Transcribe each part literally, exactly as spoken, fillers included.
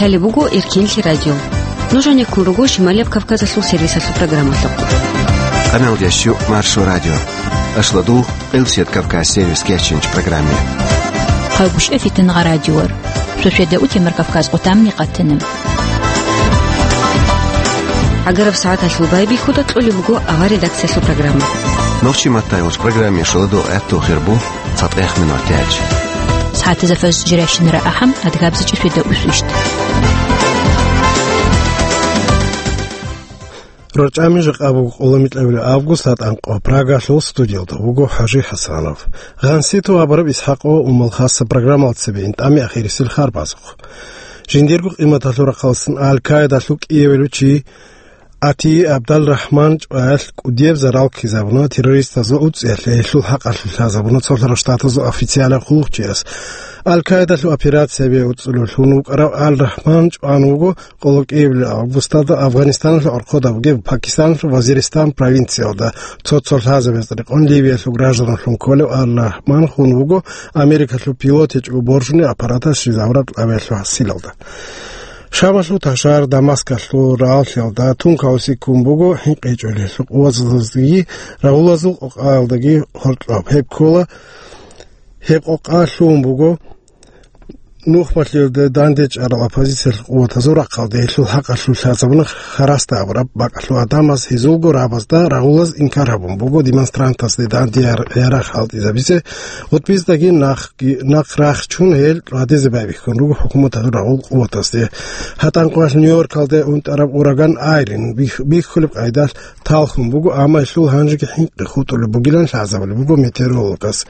Лъалеб буго Эркенлъи радио. Нуж гьанеккун руго Шималияб Кавказалъул сервисалъул программалъухъ. Къаналдящу Маршо радио. Ашладул Къилсият Кавказ сервис кечинч программе. Хъагушев Фитнагъа радиор. Шошеда утемар Кавказ къутамни къатана. Агараб сагӀаталъул байбихьуда кьолеб буго авар редакциялъул программа. Нохчи маттайгъуш программе шоладо гӀатту хирбу. ЦатӀех минут гьечӀ. СагӀатазда фажр жирайщинара ахӀам, адгабзичӀи шведа усвищ. РорчӀами жакъа буго къоло микьабилеб август, гьатӀанкъо Прагалъул студиялда вуго ХӀажи ХӀасанов. Гъанситу абураб ИсхӀакъ ва Умал хасаб программалда цебе ин тӀами ахирисел харбазухъ. Жиндирго къиматалъул рахъалъан Аль-Каидалъул кӀиявилев чи Ати ГӀабдалрахӀман чӀваялъ кӀудияб зарал ккезабуна террористазул уцӀиялъе, гьелъул хӀакъалъулъ лъазабуна Цолъарал Штатазул официалаб хъулухъчияс. Аль-Каидалъул операциябе уцӀулев лъун вукӀарав Аль-Рахман чӀван вуго къоло кӀиабилеб августалда Афганистаналъул гӀорхъода бугеб Пакистаналъул Вазиристан провинциялда. Цо-цо лъазабаз рекъон Ливиялъул гражданлъун кколев Аль-Рахман хун вуго Америкалъул пилот гьечӀого боржунеб аппараталъ щвезабураб кӀиабилеб гӀасилалда. Шамалъул ташар Дамаскалъул рагӀаллъиялда тункаулси ккун буго хӀинкъичӀолъиялъул къуватаздаги рагъулазул къокъаялдаги гьоркьоб. Гьеб ккола, гьеб къокъа лъугьун буго нухмалъиялда дандечӀарал оппозициялъул къуватазул рахъалде. Гьелъул хӀакъалъулъ лъазабуна харасда абураб бакӀалъул гӀадамаз, гьезулго рабазда рагъулаз инкар гьабун буго демонстрантазде данде яр-, ярагъ хӀалтӀизабизе. ГъутӀбиздаги нахъги-, нахъ рахчун гьел тӀадезе байбихьун руго хӀукуматалъул рагъул къуватазде. ГьатӀанкъоялъ Нью-Йоркалде унтӀараб ураган Айрин бих-, бихьулеб къайдалъ талхун буго, амма гьелъул гьанжеги хӀинкъи хутӀулеб бугилан лъазабулеб буго метеорологаз.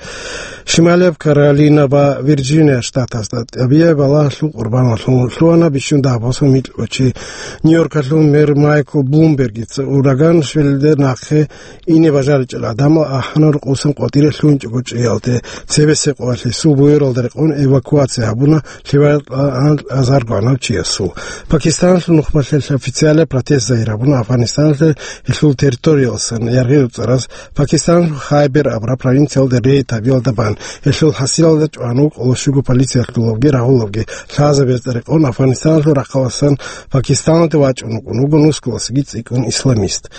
Шималияб Каролина ва Вирджиния штатазда тӀабигӀи балагьалъул къурбаналъун лъугьана бищун дагьаб босун микьго чи. Нью-Йоркалъул мэр Майкл Блумбергица ураган Швеллиде нахъе ине бажаричӀел гӀадамал ахӀана рукъусан къватӀире лъугьинчӀого чӀиялде. Цебесеб къоялъ гьесул буюралда рекъон эвакуация гьабуна лъивал азарго гӀанав чиясул. Пакистаналъул нухмалъиялъ официалаб протест загьир гьабуна Афганистаналъе гьелъул территориялдасан яргъи-руцӀараз. Пакистаналъул Хайбер абураб провинциялда рейд гьабиялда бан гьелъул хӀасилалда чӀван вукӀуна щуго полициялъулавги рагъулавги лъазабазда рекъон Афганистаналъул рахъалдасан Пакистаналде вачӀун вукӀун вуго нусгуласаги цӀикӀкӀун исламист.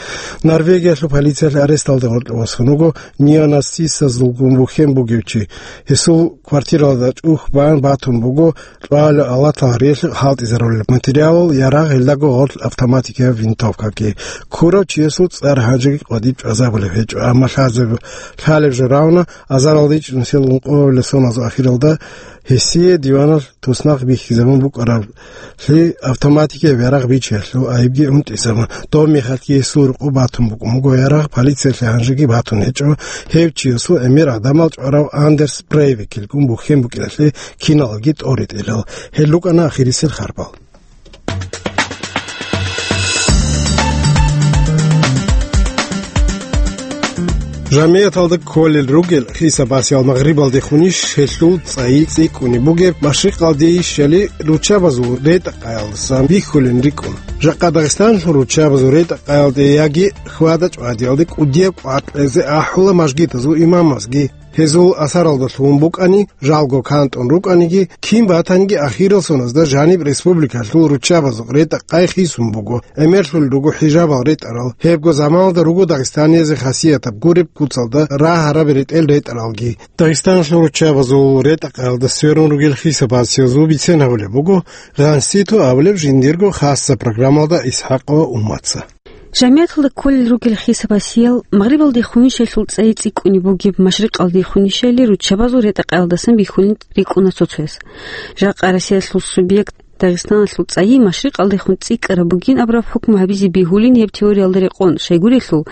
Норвегиялъул полициялъ аресталда гъоркье босун вуго неонацистазулгун бухьен бугев чи. Гьесул квартиралда чӀухь бан батун буго кьвалел алатал гьариялъе хӀалтӀизарулел материалал, ярагъ, гьелдаго гъорлъ автоматикаяб винтовкаги. Ккурав чиясул цӀар гьанжеги къватӀиб чӀвазабулеб гьечӀо, амма лъазаб-, лъалеб жо равна, азаралда ичӀнусел ункъоялда соназул ахиралда гьесие диваналъ туснахъ бихьизабун букӀараблъи автоматикаяб ярагъ бичиялъул айибги унтӀизабун. Доб мехалъги гьесул рукъу батун букӀун буго ярагъ, полициялъе гьанжеги батун гьечӀо. Гьев чиясул гӀемер гӀадамал чӀварав Андерс Брейвикилгун бухьен букӀиналъе киналги тӀоритӀилал. Гьел рукӀана ахирисел харбал. Жамияталда кколел ругел хисабасиял магърибалдехунищ гьелъул цӀайи цӀикӀкӀунеб бугеб, машрикъалдейищали руччабазул ретӀа-, къаялдасан бихьулин рикӀкӀун. Жакъа Дагъистаналъул руччабазул ретӀа-, къаялде яги хьвада-чӀвадиялде кӀудияб къвакълъизе ахӀула мажгитазул имамазги. Гьезул асаралда лъугьун букӀани, жалго кантӀун рукӀаниги, кин батаниги ахирал соназда жаниб республикалъул руччабазул ретӀа-, къай хисун буго, гӀемерлъулел руго хӀижабал ретӀарал, гьебго заманалда руго дагъистаниязе хасиятаб гуреб куцалда рагьараб ретӀел ретӀаралги. Дагъистаналъул руччабазул ретӀа-, къаялда сверун ругел хисабасиязул бицен гьабулеб буго, гъанситу абулеб жиндирго хасаб программалда ИсхӀакъ ва Умматца. Жамияталда кколел ругел хисабасиял, магърибалдехунищ гьелъул цӀайи цӀикӀкӀунеб бугеб, машрикъалдехунищали руччабазул ретӀа-, къаялдасан бихьулин рикӀкӀуна цо-цояс. Жакъа Россиялъул субъект Дагъистаналъул цӀайи машрикъалдехун цӀикӀкӀараб бугин абураб хӀукму гьабизе бегьулин гьеб теориялда рекъон, щайгурелъул,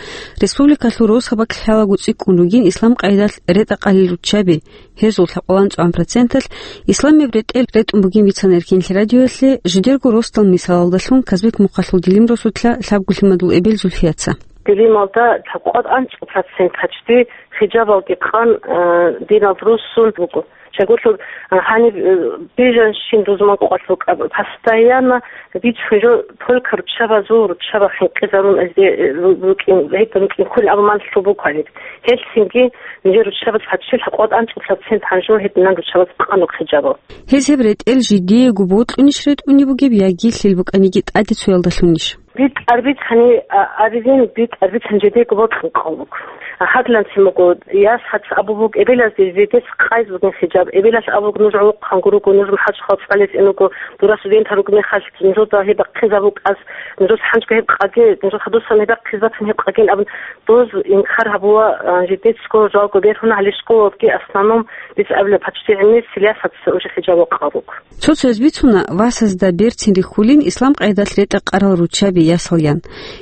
республикалъул росабалъ лъалаго цӀикӀкӀун ругин ислам къайдалъ ретӀа-, къалел руччаби, гьезул лъабкъоялда анцӀгоялда проценталъ исламияб ретӀел ретӀун бугин бицана Эркенлъи радиоялъе, жидерго росдал мисалалдалъун Казбек-Мухъалъул Дилим росулъа лъабго лъимадул эбел Зульфияца. Дилималда лъабкъоялда анцӀго процент гьачӀди хижабалги къан, а, диналда руссун буго. Чагулъур, а, гьаниб, э, бижанщин рузман къвалъ букӀа, постоянно бицун жо только руччабазул, руччаба хӀинкъизарун азде, э, ру-, рукӀин, гьеб рукӀин кколин абун малъу букӀаниб. Гьелъинги нижер руччабаз гьачил гьакъват анцӀулъа цин гьанжо гьединан руччабаз къанук хижабал. Гьез гьеб ретӀел жидеего бокьунищ ретӀунеб бугеб яги лъил букӀаниги тӀаде цоялдалъунищ? БитӀар бицани, а, абизин, битӀар бицан жидеего бокьун кколук. А, гьадланцин буго, яс гьац абу буг эбелазде жидец къайз бугин хижаб, эбелалъ абуг нуж гӀолохъанго руго, нуж махӀачхъал цӀалес ин руго, дура студентал руг мехалъ, нужеда гьеб бахъизабукӀаз, нужес хӀанчго гьеб къаге, нужеца дусан гьеб бахъиз бацин гьеб къаген абун, доз инкар гьабула, а, жидецго жалго бергьун гьале школалги, основном, дица абила, почти гӀемер силиясаца уже хижаб къалук. Цо-цояз бицуна, васазда берцин рихьулин ислам къайдалъ ретӀа-къарал руччаби ясалъян.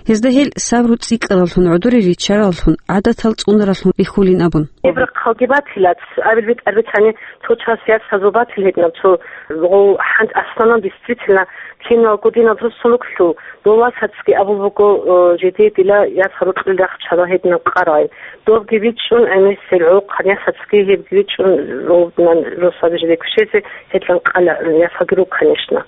Гьезда гьел сабру цӀикӀкӀараллъун, гӀодоре риччараллъун, гӀадатал цӀунараллъун рихьулин абун. Гьеб рахъалги батилац, абил битӀар бицани, цо час ясазул батил гьединаб цо гъов хӀант, основном, действительно, киналго динал руссун руклъул, дов васацги абул буго, э, жеде дила яс гьарукьул рахчала гьединаб къарай. Добги бичӀчӀун гӀемерисел гӀолохъан ясацги гьебги бичӀчӀун, гьединан росаби жеде квешезе гьедлъан къала, э, ясаги руго, конечно.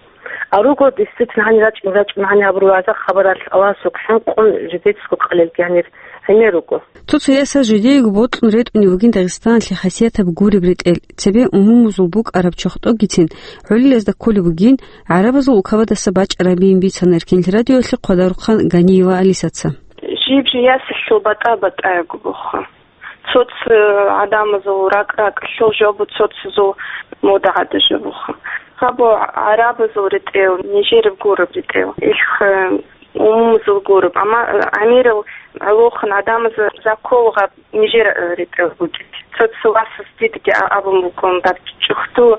А руго, действительно, гьанир рачӀун-рачӀун гьанир гьабураб вагӀза-хабаралъ Аллагьасукьа хӀинкъун жидецго къалелги гьанир гӀемер руго. Цо-цо ясал жидеего бокьун ретӀунеб бугин Дагъистаналъе хасиятаб гуреб ретӀел, цебе умумузул букӀараб чохтӀогицин гӀолилазда кколеб бугин, гӀарабазул улкабадаса бачӀарабиин бицана Эркенлъи радиоялъе Хъвадарухъан Ганиева Алисаца. Жиб-жиб ясалъул батӀа-батӀаябго буго. Цо-цо гӀадамазул ракӀ-ракӀалъул жо буго, цо-цозул мода гӀадаб жо буго. Гьаб гӀарабазул ретӀел, нижераб гуреб ретӀел. Илх, э, умумузул гуреб. Амма, э, гӀемерал гӀолохъан гӀадамаз закол гьаб нижер, э, ретӀел бугеб. Цо-цо васас дидеги а-, абун бугин, даб чӀухӀдул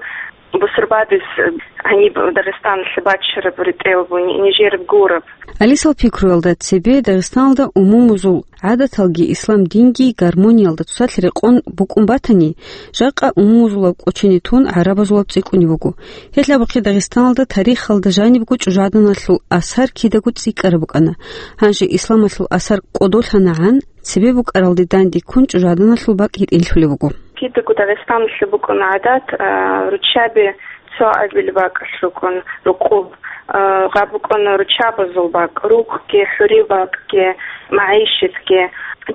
бусурбабаз, э, гьаниб Дагъистаналъе бачараб ретӀел буго, ни-, нижераб гуреб. Алисал пикруялда, цебе Дагъистаналда умумузул гӀадаталги ислам динги гармониялда цоцалъ рекъон букӀун батани, жакъа умумузулаб кӀочене тун гӀарабазулаб цӀикӀкӀунеб буго. Гьелъ абухъе Дагъистаналда тарихалда жанибго чӀужугӀаданалъул асар кидаго цӀикӀкӀараб букӀана. Гьанже исламалъул асар кӀодолъанагӀан, цебе букӀаралде данде ккун чӀужугӀаданалъул бакӀ гьитӀинлъулеб буго. Кидаго Дагъистаналъе букӀана гӀадат, а, руччаби цо абил бакӀалъ рукӀун рукъул, а, гьаб букӀана руччабазул бакӀ, рукъги, хӀурил бакӀги, магӀишатги.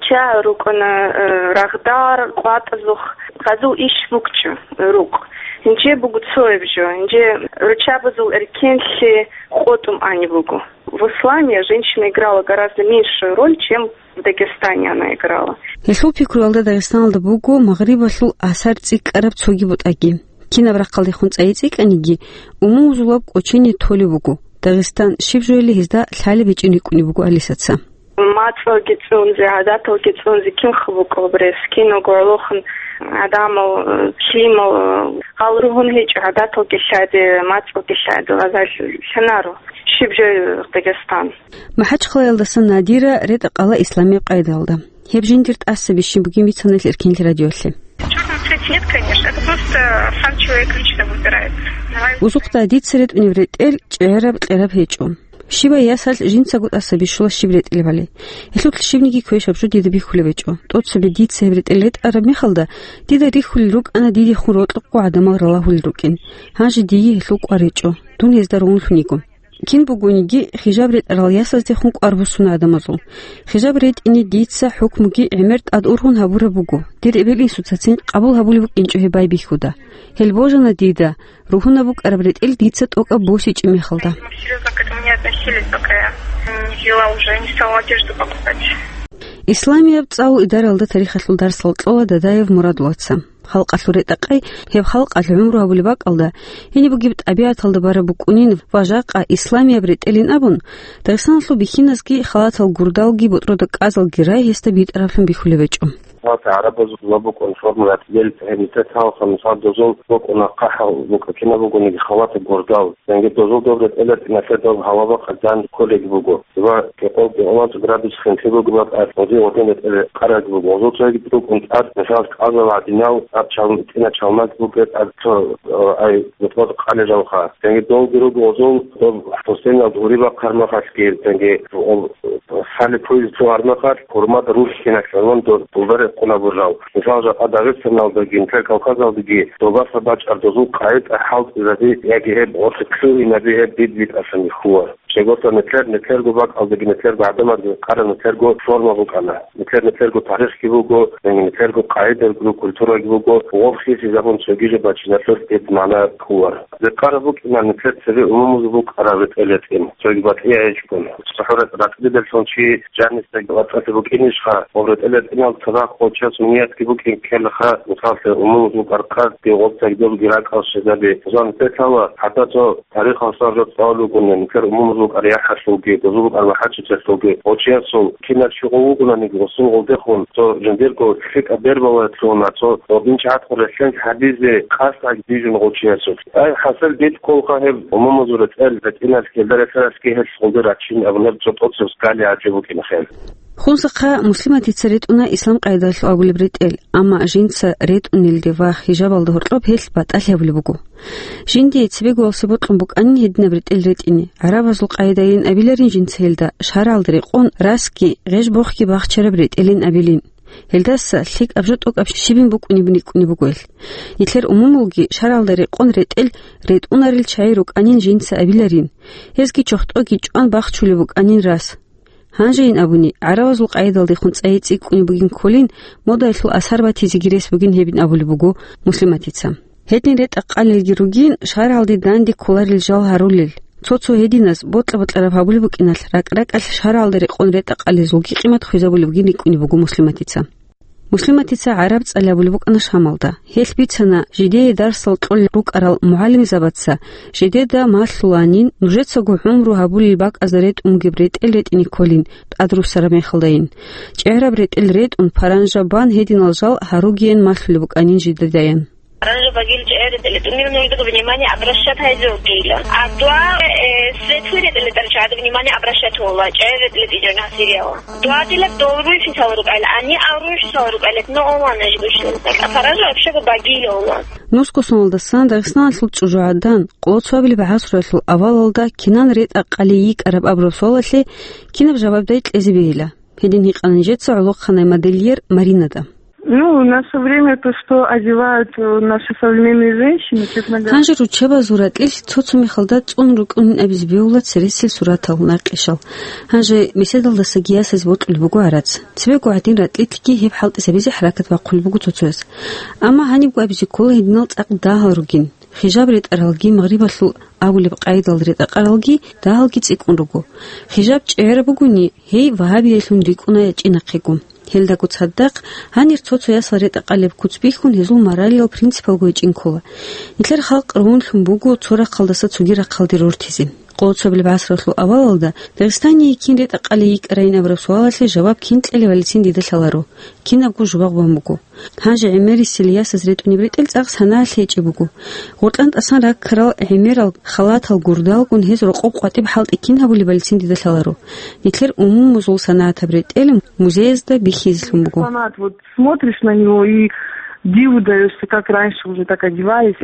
Чагьи рукӀана, а, рагъдар, къватӀазухъ, гьазул иш букӀчӀо рукъ. Гьанже буго цояб жо, гьанже руччабазул эркенлъи къотӀун аниб буго. В исламе женщина играла гораздо меньшую роль, чем в Дагестане она играла. Гьелъул пикруялда Дагъистаналда буго Магърибалъул асар цӀикӀкӀараб цоги бутӀаги. Кинаб рахъалдехун цӀайи цӀикӀкӀаниги, умумузулаб кӀочене толеб буго. Дагъистан щиб жояли гьезда лъалеб гьечӀин рикӀкӀунеб буго Алисаца. МацӀалги цӀунзе, гӀадаталги цӀунзе кинха букӀа гьаб рес, киналго гӀолохъан гӀадамал, э, лъимал, э, гьал ругьун гьечӀо, гӀадаталги лъади, мацӀалги лъади, гьазал лъанаро. Щиб жо Дагъистан? МахӀачхъалаялдаса Надира ретӀа-къала исламияб къайдалда. Гьеб жиндир тӀасаби щиб бугин бицана гьел Эркенлъи радиоялъе. Чёрный цвет нет, конечно, это просто сам человек лично выбирает. Давай. Узухъда дица ретӀунеб ретӀел чӀегӀераб-кьераб гьечӀо. Щибай ясалъ жинцаго тӀаса бищула щиб ретӀилебали. Гьелъулъ щибниги квешаб жо дида бихьулеб гьечӀо. ТӀоцебе дица гьеб ретӀел ретӀараб мехалда, дида рихьулел рукӀана дидехун рокьукъо гӀадамал ралагьулел рукӀин. Гьанже дие гьелъул кӀвар речӀо, дун гьезда ругьунлъун йиго. Кин бугониги, хижаб ретӀарал ясаздехун кӀвар буссуна гӀадамазул. Хижаб ретӀине дица хӀукмуги гӀемер тӀад ургъун гьабураб буго, дир эбел-инсуцацин къабул гьабулеб букӀинчӀо гьеб байбихьуда. Гьел божана дида, ругьунаб букӀараб ретӀел дица тӀокӀаб босичӀеб мехалда. Серьёзно к этому не относились, пока я не взяла уже, не стала одежду покупать. Исламияб цӀалул идаралда тарихалъул дарсал кьола Дадаев Мурадулаца. Халкъалъул ретӀа-къай гьеб халкъалъ гӀумру гьабулеб бакӀалда, гьениб бугеб тӀабигӀаталда бараб букӀунин ва жакъа исламияб ретӀелин абун, Дагъистаналъул бихьиназги халатал гурдалги ботӀрода кӀазалги рай гьесда битӀараблъун бихьулеб гьечӀо. Халатал гӀарабазул ва букӀун формулат ел гьеб нилъер талхъан, мисал, дозул букӀуна хъахӀал букӀа кинаб бугониги халатал гурдал. Цинги дозул доб ретӀел ретӀиналъе доб гьаваба къадан кколеги буго. Ва кӀикъоялда кӀикъоялда градус хинлъи бугеб бакӀалъ гъозие гъодин ретӀел къараги буго. Гъозул цоги букӀун тӀад, мисал, кӀазал гьадинал, тӀад чал-, тӀина чалмаги буго, тӀад цо, э, ай, бутӀрул къалел жавха. Цинги долги руго гъозул, доб хӀусейналда гьури бахъармахалъги, цинги, о, хали пуйз цугьармахалъ, гьурмада рухьиналъ гӀолон дол-, долдаре къунабурав. Мисал, жакъа Дагъистаналдаги, нилъер Кавказалдаги добаса бачӀар дозул къагӀида хӀалтӀизаби яги гьеб гъорлъ лъугьинаби гьеб бит-битӀасан бихьула. Щайгурелъул нилъер, нилъерго бакӀалдаги, нилъерго гӀадамазда къаран нилъерго форма букӀана. Нилъер, нилъерго тарихги буго, нилъерго къагӀидаги, культураги буго, гъоб хисизабун цоги жо бачиналъулъ гьеб магӀна ккола. Рекъараб букӀина нилъер цебе умумузул букӀараб ретӀел-ретӀин, цоги батӀияб гьечӀого. ЦохӀо ретӀ-, ретӀелдалъун чи жанисдаги вацӀцӀалъи букӀинищха, гъоб ретӀел-ретӀинал цадахъ гъочиясул ниятги букӀин ккелаха, мисаллъи, умумузул букӀар къадги гъоб цогидабги ракӀал щвезаби. Зан петала, хӀатта цо тарихалъ жо цӀалулгун, нилъер умумузул букӀар яхӀалъулги, дозул букӀар МахӀачичалъулги, гъочиясул кинав чи гъов вугонаниги, гъосул гъолдехун цо жиндирго лъикӀаб бербалаялъуна, цо гъоб инчӀ гӀадкъун релълъен гьабизе къасд гьабизе бижун гъочиясулъ. Ай, хӀасил битӀ кколха гьеб умумузул ретӀел-ретӀиналъ, гьелда рехсаралъги гьелъ гъолде рачин абунеб цо тӀоцеб скали гӀажиб букӀина хел. Хунсахъа Муслиматица ретӀуна ислам къайдалъ абулеб ретӀел, амма жинца ретӀунелде ва хижабалда гьоркьоб гьелъ батӀалъи гьабулеб буго. Жиндие цебегоялъе бокьун букӀанин гьединаб ретӀел ретӀине, гӀарабазул къайдайин абиларин жинца гьелда, шаргӀалда рекъон расги гъеж-бохги бахчараб ретӀелин абилин. Гьелдаса лъикӀаб жо тӀокӀаб щибин букӀунеб рикӀкӀунеб буго гьелъ. Нилъер умумулги шаргӀалда рекъон ретӀел ретӀунарел чагӀи рукӀанин жинца абиларин, гьезги чохтӀоги чӀван бахчулеб букӀанин рас. Гьанжейин абуни, гӀарабазул къайдалдехун цӀайи цӀикӀкӀунеб бугин кколин, модаялъул асар батизеги рес бугин гьебин абулеб буго Муслиматица. Гьедин ретӀа-къалелги ругин, шаргӀалде данде кколарел жал гьарулел, цо-цо гьединаз бокьа-бокьараб гьабулеб букӀиналъ, ракӀ-ракӀалъ шаргӀалда рекъон ретӀа-къалезулги къимат хвезабулеб бугин рикӀкӀунеб буго Муслиматица. Муслиматица гӀараб цӀалияб абулеб букӀана Шамалда. Гьелъ бицана, жидее дарсал кьолел рукӀарал мугӀалимзабаца жидеда малъуланин, нужецаго гӀумру гьабулел бакӀазда ретӀун бугеб ретӀел ретӀине кколин, тӀадруссараб мехалдайин. ЧӀегӀраб ретӀел ретӀун, паранжа бан гьединал жал гьаругеян малъулеб букӀанин жидедаян. Оранжевый багил чӀегӀер ретӀел ретӀунел нужедаго внимание обращать гьайзе вугила. А дуа, э, светлый ретӀел ретӀарал чагӀазда внимание обращать гьавула, чӀегӀер ретӀел ретӀичӀо насириялла. Дуа дила дол руйсисал рукӀайла, гьанни ав руйсисал рукӀайла, но ован ажгушин. Паранжа вообще багил ован. Нусго соналдасан Дагъистаналъул чӀужугӀадан, къоло цоабилеб гӀасруялъул авалалда кинан ретӀа-къали йикӀараб абураб суалалъе кинаб жавабдай кьезе бегьила? Гьедин гьикъана нижеца гӀолохъанай модельер Маринада. Ну, в наше время то, что одевают, э, наши современные женщины, честно говоря. Гьанже руччабазул ракьилъ цо-цо мехалда цӀун рукӀунин абизе бегьула цересел суратал, накъишал. Гьанже беседалдасаги ясазе бокьулеб буго гӀарац. Цебего гьадин ракьилъги гьеб хӀалтӀизабизе хӀаракат бахъулеб буго цо-цояс. Амма гьанибго абизе ккола гьединал цӀакъ дагьал ругин. Хижаб ретӀаралги, магърибалъул абулеб къайдал ретӀа-къаралги дагьалги цӀикӀкӀун руго. Хижаб чӀегӀераб бугони, гьей вагьабиялъун рикӀкӀуна ячӀи нахъего. Гьелдаго цадахъ, гьанир цо-цо ясал ретӀа-къалеб куц бихьун, гьезул моралиял принципалго гьечӀин ккола. Нилъер халкъ ругьунлъун буго цо рахъалдаса цоги рахъалде рортизе. Къоло цоабилеб гӀасралъул авалалда Дагъистание кин ретӀа-къали йикӀарайин абураб суалалъе жаваб кин кьелевалицин дида лъаларо, кинабго жубагъ бан буго. Гьанже гӀемерисел ясаз ретӀунеб ретӀел цӀакъ санаялъе гьечӀеб буго. Гъоркьан тӀасан раккарал гӀемерал халатал гурдалгун гьез рокъоб къватӀиб хӀалтӀи кин гьабулебалицин дида лъаларо. Нилъер умумузул санагӀатаб ретӀел музеязда бихьизелъун буго. Фанат, вот смотришь на него и диву даёшься, как раньше уже так одевались.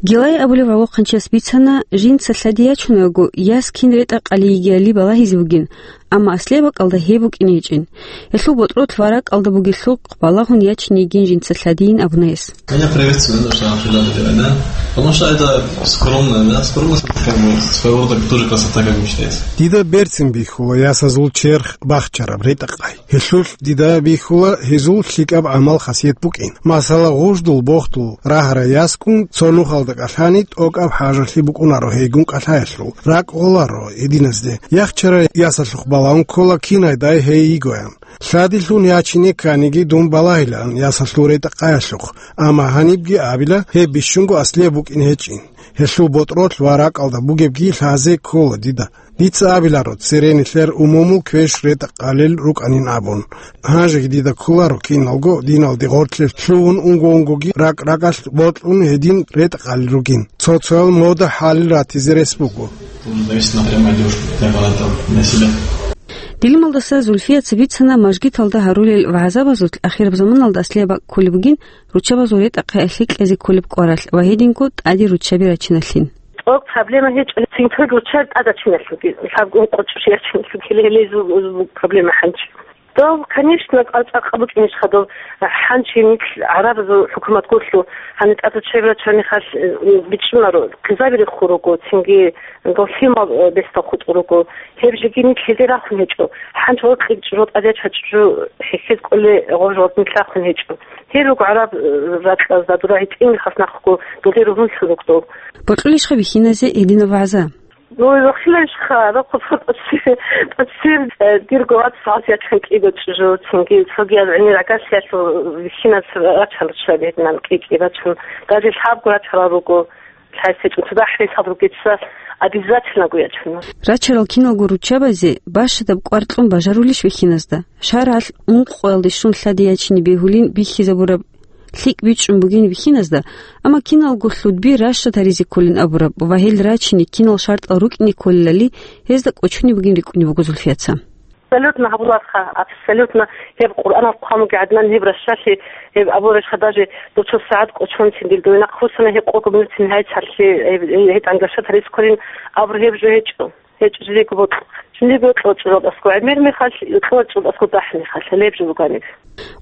Гилай абулев гӀолохъанчияс бицана, жинца лъади ячунаго, яс кин ретӀа-къали йигиялли балагьизе бугин, амма аслияб бакӀалда гьеб букӀине гьечӀин. Гьелъул ботӀролъ ва ракӀалда бугелъул балагьун ячине йигин жинца лъадийин абуна гьес. Меня приветствует то, что она прилётает, да? Потому что это скромно, да? Скромность — это как бы своего рода тоже красота, как бы считается. Дида берцин бихьула ясазул черх бахчараб ретӀа-къай. Гьелъулъ дида бихьула гьезул лъикӀаб гӀамал-хасият букӀин. Масала, гъуждул-бохдул рагьарай ясгун цо нухалда кӀалъани, тӀокӀаб хӀажалъи букӀунаро гьейгун кӀалъаялъул, ракӀ гъоларо гьединазде. Яхчарай ясалъухъ балагьун ккола кинайдай гьей йигоян. Лъадилъун ячине кканиги дун балагьилаан ясалъул ретӀа-къаялъухъ, амма гьанибги абила, гьеб бищунго аслияб букӀин гьечӀин. Гьелъул ботӀролъ ва ракӀалда бугебги лъазе ккола дида. Дица абиларо, цере нилъер умумул квеш ретӀа-къалел рукӀанин абун. Гьанжеги дида кколаро киналго диналде гъоркье лъугьун, унго-унгоги ракӀ-ракӀалъ бокьун гьедин ретӀа-къалел ругин. Цо-цоял мода хӀалил ратизе рес буго. Зависит напрямую от девушки, как она там на себя. Дилималдаса Зульфияца бицана мажгиталда гьарулел вагӀзабазулъ ахираб заманалда аслияб бакӀ кколеб бугин, руччабазул ретӀа-къай аслияб кьезе кколеб кӀваралъ ва гьединго тӀаде руччаби рачиналъин. ТӀокӀ проблема гьечӀо, цинги руччаби тӀадачиналъуги, лъабго къочӀ руччаби рачиналъуги, гьеле-, гьелезул проблема гьанчи. Дов, конечно, цӀакъ букӀинищ хадув, хӀанчи нилъ гӀарабазул хӀукумат гурлъу, гьанитӀазда чебра чанихъалъ, э, бичӀчӀунаро, хъизаби рехун руго, цинги дов лъимал, э, бесдал хутӀун руго. Гьеб жеги нилъ гьезде рахун гьечӀо. ХӀанчи гъоркье чӀужу тӀаде чачӀужу хӀехьез кӀоле гъов жо нилъ рахун гьечӀо. Гьел руго гӀараб, э, ракьазда дура гьитӀинги хас нахъго дуле ругьунлъун ругдов. Бокьулищха бихьиназе гьединаб вагӀза? Ну, вахилайищха, рахъу тӀасир, тӀасир, э, дирго вац гьасиятан кӀиго чӀужу, цинги цоги гӀемер агарсиялъул вихьиназ рачал чӀа бегьнан кӀи-кӀи рачун, даже лъабго рачарал руго, лъайсечӀун цадахӀ ресал ругеца, обязательно гуячун. Рачарал киналго руччабазе бащадаб кӀвар кьун бажарулищ вихьиназда? ШаргӀалъ ункъоялде щун лъади ячине бегьулин бихьизабураб лъикӀ бичӀчӀун бугин вихьиназда, амма киналго лъудби ращад гьаризе кколин абураб ва гьел рачине кинал шартӀал рукӀине кколелали гьезда кӀочунеб бугин рикӀкӀунеб буго Зульфияца. Абсолютно гьабуларха, абсолютно. Гьеб Къуръанал хъван бугеб гӀадинан гьеб ращалъи, гьеб абураб рещха даже дуцо сагӀат кӀочонцин дир дуе нахъ руссана гьекъого минутцин гьайцалъи, гьеб, гьеб гьетӀан гашат гьарис кколин абур гьеб жо гьечӀо. ГьечӀо жиндиего бокьа. Жиндиего бокьа чӀужуялдасго гӀемер мехалъ, бокьа чӀужуялдасго дагь мехалъ, гьеб жо бугони.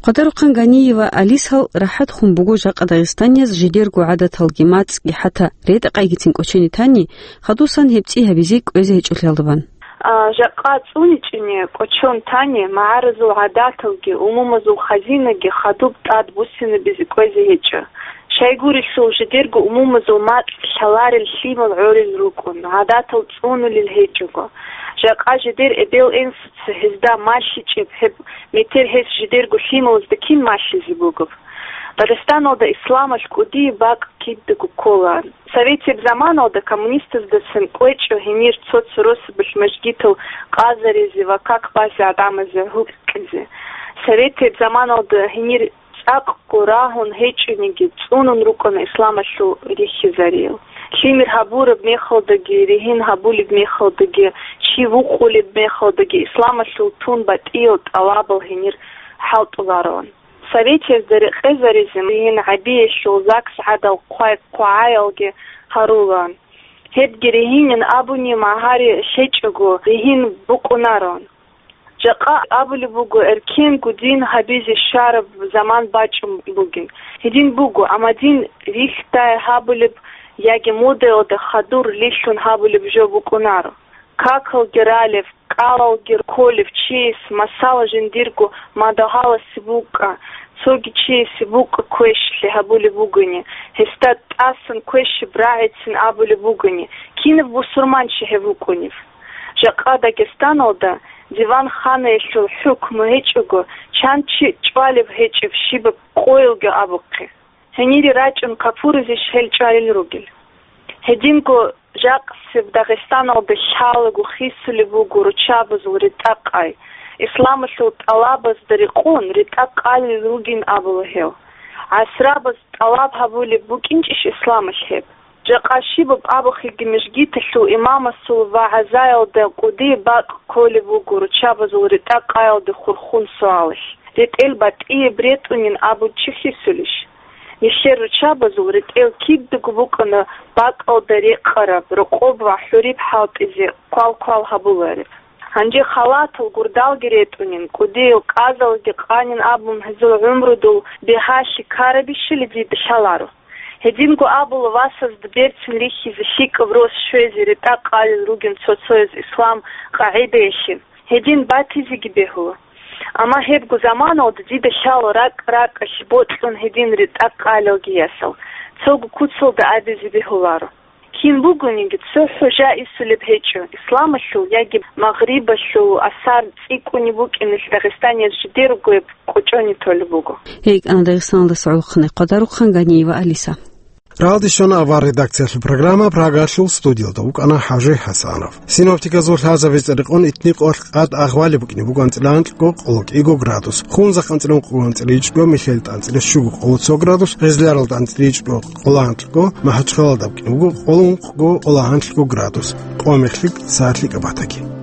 Къадарухъан Ганиева Алисал рахӀат хун буго жакъа дагъистанияз жидерго гӀадаталги мацӀги хӀатта ретӀа-къайгицин кӀочене тани, хадусан гьеб цӀи гьабизе кӀвезе гьечӀолъиялда бан. А, жакъа цӀуничӀене кӀочон тани, магӀаразул гӀадаталги, умумузул хазинаги хадуб тӀад буссинабизе кӀвезе гьечӀо. Щайгурелъул жидерго умумузул мацӀ лъаларел лъимал гӀорил рукӀун, гӀадатал цӀунулел гьечӀого. Жакъа жидер эбел-инсуца гьезда малъичӀеб гьеб метер гьес жидерго лъималазда кин малъизе бугеб? Дагъистаналда исламалъ кӀудияб бакӀ кидаго ккола. Советияб заманалда коммунистаздасан кӀвечӀо гьенир цо-цо росабалъ мажгитал къазаризе ва как базе гӀадамазе гьукъизе. Советияб заманалда гьенир цӀакъго рагьун гьечӀониги, цӀунун рукӀана исламалъул рихьизариял. Лъимер гьабураб мехалдаги, ригьин гьабулеб мехалдаги, чи вукъулеб мехалдаги исламалъул тун батӀиял тӀалабал гьенир хӀалтӀулароан. Советиязда рекъезаризе гьин гӀабиялъул ЗАГС гӀадал хъвай-хъвагӀаялги гьарулаан. Гьебги ригьинин абуни магьари лъечӀого ригьин букӀунароан. Жакъа абулеб буго, эркенго дин гьабизе щвараб заман бачӀун бугин. Гьедин буго, амма дин рихьдай гьабулеб яги модаялда хадур рилълъун гьабулеб жо букӀунаро. Какалги ралев, кӀалалги кколев чияс, масала, жиндирго мадугьаласе букӀа, цоги чиясе букӀа квешлъи гьабулеб бугони, гьесда тӀасан квешаб рагӀицин абулеб бугони, кинаб бусурманчи гьев вукӀунев? Жакъа Дагъистаналда диван-ханаялъул хӀукму гьечӀого, чан чи чӀвалеб гьечӀеб щибаб къоялги абухъе. Гьенире рачӀун капуризищ гьел чӀвалел ругел? Гьединго жакъасеб Дагъистаналда лъалаго хисулеб буго руччабазул ретӀа-къай. Исламалъул тӀалабазда рекъон ретӀа-къалел ругин абула гьев. ГӀасрабаз тӀалаб гьабулеб букӀинчӀищ исламалъ гьеб? Жакъа щибаб абухъеги, мижгиталъул имамасул вагӀзаялда кӀудияб бакӀ кколеб буго руччабазул ретӀа-къаялде хурхун суалалъ: ретӀел батӀияб ретӀунин абун чи хисулищ? Нилъер руччабазул ретӀел кидаго букӀана бакӀалда рекъараб, рокъоб ва хӀуриб хӀалтӀизе квал-квал гьабулареб. Гьанже халатал гурдалги ретӀунин, кӀудиял кӀазалги къанин абун гьезул гӀумрудул бигьалъи ккарабищали дида лъаларо. Гьединго абула васазда берцин рихьизе, лъикӀаб рос щвезе ретӀа-къалел ругин цо-цояз ислам къагӀидаялъе, гьедин батизеги бегьула. Амма гьебго заманалда дида лъала ракӀ-ракӀалъ бокьун гьедин ретӀа-къалелги ясал, цого куцалда абизе бегьуларо. Кин бугониги, цо хӀужа исулеб гьечӀо, исламалъул яги Магърибалъул асар цӀикӀкӀунеб букӀиналъ Дагъистаниялъ жидер ругояб кӀочони толеб буго. Гьей кӀана Дагъистаналдаса гӀолохъанай къадарухъан Ганиева Алиса. Рагьалде щвана авар редакциялъул программа, Прагалъул студиялда вукӀана ХӀажи ХӀасанов. Синоптиказул лъазабица рекъон итни къолъ къад агъвали букӀине буго анцӀила анкьго къоло кӀиго градус, Хунзахъ анцӀила ункъго къоло анцӀила ичӀго, Михелда анцӀила щуго къоло цо градус, Гъезларалда анцӀила ичӀго къоло анкьго, МахӀачхъалалда букӀине буго къоло ункъго къоло гьанлъго градус, къо-мехлъи сагӀатлъи кӀабатаги.